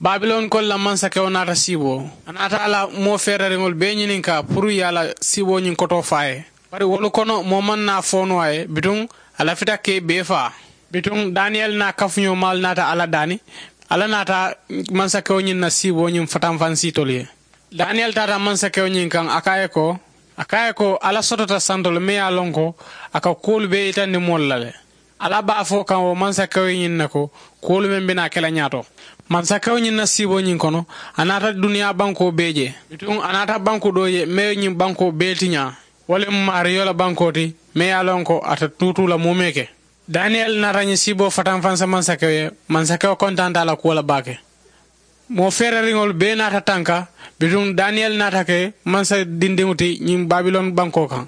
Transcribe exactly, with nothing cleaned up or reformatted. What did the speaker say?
Babilon kolu la mansakewo naata siiboo. A naata a la moo feerariŋolu bee ñininkaa puru ye a la siiboo ñiŋ kotoo fo a ye. Bari wolu kono moo maŋ naa fo noo a ye bituŋ. A lafita ka i bee faa. Bituŋ daniyeli naa kafuñoo maalu naata alla daani. Alla naata mansakewo ñiŋ na siiboo ñiŋ fatanfansiitolu ye. Daniyeli taata mansakewo ñiŋ kaŋ a ko a ye ko a ko a ye ko alla sotota santo le meŋ ye a loŋ ko a ka kuwolu bee yitandi moolu la le. Alla be a fo kaŋ wo mansakewo ye ñiŋ ne ko kuwolu meŋ be naa ke la ñaato. Mansakewo ñiŋ na siiboo ñiŋ kono a naata duniyaa bankoo bee je. Bituŋ a naata banku doo ye meŋ ye ñiŋ bankoo bee tiñaa. Wo le mu maariyo la bankoo ti meŋ ye a loŋ ko a te tuutuu la muumee ke. Daniyeli naata ñiŋ siiboo fatanfansa mansakewo ye. Mansakewo kontaanta a la kuwo la baake. Moo feerariŋolu bee naata tanka. Bituŋ daniyeli naata ke mansa dindiŋo ti ñiŋ babilon bankoo kaŋ.